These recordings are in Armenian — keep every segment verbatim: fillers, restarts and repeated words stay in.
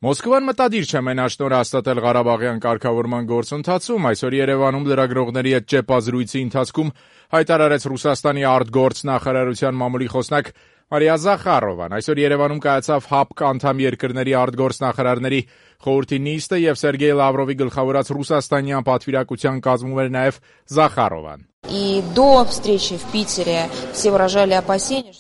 Մոսկվան մտադիր չէ մենաշնորհ հաստատել Ղարաբաղյան կարգավորման գործընթացում, այսօր Երևանում լրագրողների հետ ճեպազրույցի ընթացքում հայտարարեց Ռուսաստանի արտգործնախարարության մամուլի խոսնակ Մարիա Զախարովան։ Այսօր Երևանում կայացավ ՀԱՊԿ անդամ երկրների արտգործնախարարների խորհրդի նիստը եւ Սերգեյ Լավրովի գլխավորած ռուսաստանյան պատվիրակության կազմում էր նաեւ Զախարովան։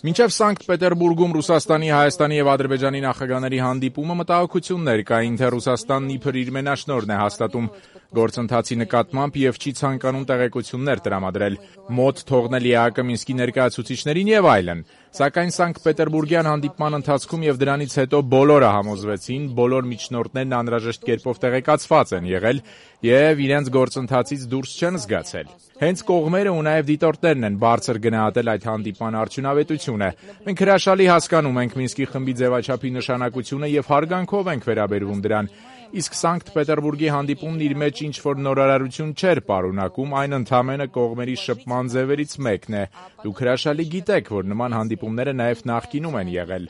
Մինչև Սանկտ Պետերբուրգում Ռուսաստանի, Հայաստանի եւ Ադրբեջանի նախագահների հանդիպումը մտահոգություններ կային, թե Ռուսաստանն իբր իր մենաշնորհն է հաստատում գործընթացի նկատմամբ եւ չի ցանկանում տեղեկություններ տրամադրել, մոտ թողնել ԵԱՀԿ Մինսկի ներկայացուցիչներին եւ այլն։ Սակայն Սանկտ Պետերբուրգյան հանդիպման ընթացքում եւ դրանից հետո բոլորը համոզվեցին, բոլոր միջնորդներն անհրաժեշտ կերպով տեղեկացված են եղել եւ իրենց գործընթացից դուրս չեն զգացել։ Հենց կողմերը ու նաեւ դիտորդներն են բարձր գնահատել այդ հանդիպման արդյունավետությունը։ Մենք հրաշալի հասկանում ենք Մինսկի խմբի ձևաչափի նշանակությունը եւ հարգանքով ենք վերաբերվում դրան։ Իսկ Սանկտ Պետերբուրգի հանդիպումն իր մեջ ինչ-որ նորարարություն չէր պարունակում, այն ընդամենը կողմերի շփման ձևերից մեկն է։ Դուք հրաշալի գիտեք, որ նման հանդիպումները նաեւ նախկինում են եղել։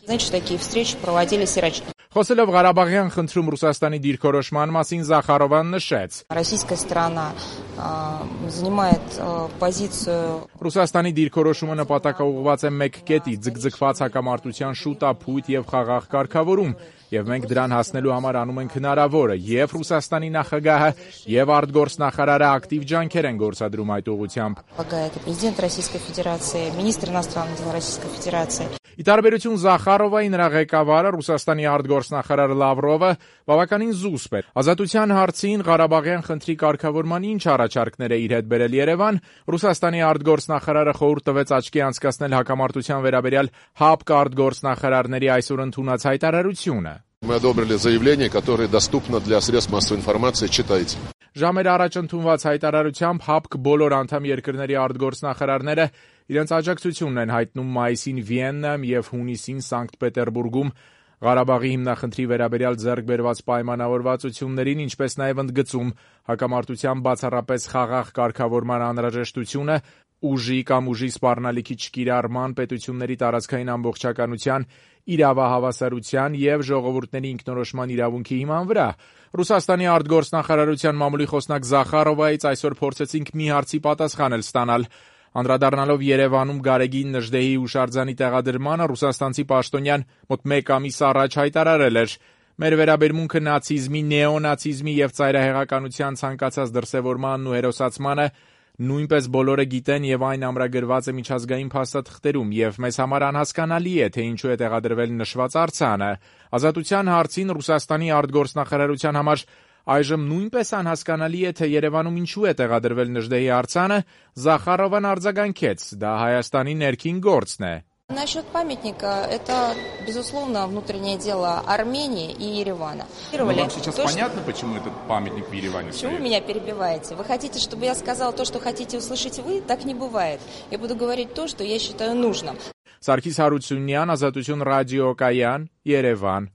Խոսելով Ղարաբաղյան խնդրում Ռուսաստանի դիրքորոշման մասին, Զախարովան նշեց. Ռուսաստանի դիրքորոշումը նպատակաուղղված է մեկ կետի՝ ձգձգված հակամարտության շուտափույթ եւ խաղաղ կարգավորում, եւ մենք դրան հասնելու համար անում ենք հնարավորը, եւ Ռուսաստանի նախագահը եւ արտգործնախարարը ակտիվ ջանքեր են գործադրում այդ ուղղությամբ։ Ի տարբերություն Զախարովայի, նրա ղեկավարը Ռուսաստանի արտգործնախարար Լավրովը բավականին զուսպ է։ Ազատության հարցին, Ղարաբաղյան խնդրի կարգավորման ինչ առաջարկներ է իր հետ բերել Երևան, Ռուսաստանի արտգործնախարարը խորհուրդ տվեց աչքի անցկացնել հակամարտության վերաբերյալ ՀԱՊԿ արտգործնախարարների այսօր ընդունած հայտարարությունը։ Мы одобрили заявление, которое доступно для средств массовой информации, читайте. Ժամեր առաջ ընդունված հայտարարությամբ ՀԱՊԿ բոլոր անդամ երկրների արտգործնախարարները իրենց աջակցությունն են հայտնում մայիսին Վիեննայում եւ հունիսին Սանկտ Պետերբուրգում Ղարաբաղի հիմնախնդրի վերաբերյալ ձեռք բերված պայմանավորվածություններին, ինչպես նաեւ ընդգծում հակամարտության բացառապես խաղաղ կարգավորման անհրաժեշտությունը, ուժի կամ ուժի սպառնալիքի չկիրառման, պետությունների տարածքային ամբողջականության, իրավահավասարության եւ ժողովուրդների ինքնորոշման իրավունքի հիման վրա։ Ռուսաստանի արտգործնախարարության մամուլի խոսնակ Զախարովայից այսօր փորձեցինք մի հարցի պատասխանել ստանալ։ Անդրադառնալով Երևանում Գարեգին Նժդեհի հուշարձանի տեղադրմանը, ռուսաստանցի պաշտոնյան մոտ մեկ ամիս առաջ հայտարարել էր. Մեր վերաբերմունքը նացիզմի, նեոնացիզմի եւ ծայրահեղականության ցանկացած դրսեւորմանն ու հերոսացմանը նույնպես բոլորը գիտեն եւ այն ամրագրված է միջազգային փաստաթղթերում եւ մեզ համար անհասկանալի է, թե ինչու է տեղադրվել նշված արձանը։ Ազատության հարցին Ռուսաստանի արտգործնախարարության համար այժմ նույնպես անհասկանալի է, թե Երևանում ինչու է տեղադրվել Նժդեհի արձանը, Զախարովան արձագանքեց. դա Հայաստանի ներքին գործն է։ Насчет памятника, это, безусловно, внутреннее дело Армении и Еревана. Ну, вам сейчас то, понятно, что... почему этот памятник в Ереване Почему стоит? вы меня перебиваете? Вы хотите, чтобы я сказала то, что хотите услышать вы? Так не бывает. Я буду говорить то, что я считаю нужным. Սարգիս Հարությունյան, Ազատություն ռադիոկայան, Երևան։